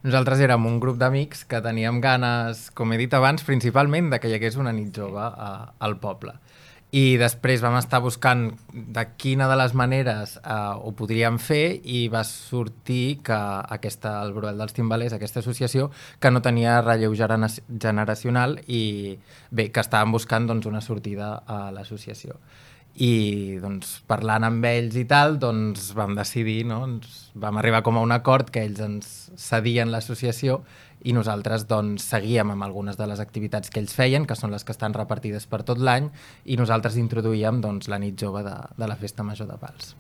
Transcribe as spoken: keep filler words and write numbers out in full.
Nosaltres érem un grup d'amics que teníem ganes, com he dit abans, principalment de que hi hagués una nit jove a, al poble. I després vam estar buscant de quina de les maneres eh, ho podríem fer i va sortir que aquesta, el Bruel dels Timbalers, aquesta associació, que no tenia relleu generacional i bé, que estàvem buscant doncs, una sortida a l'associació. I doncs, parlant amb ells i tal, doncs, vam decidir, no? Ens vam arribar com a un acord que ells ens cedien l'associació i nosaltres doncs, seguíem amb algunes de les activitats que ells feien, que són les que estan repartides per tot l'any, i nosaltres introduïem doncs, la nit jove de, de la Festa Major de Pals.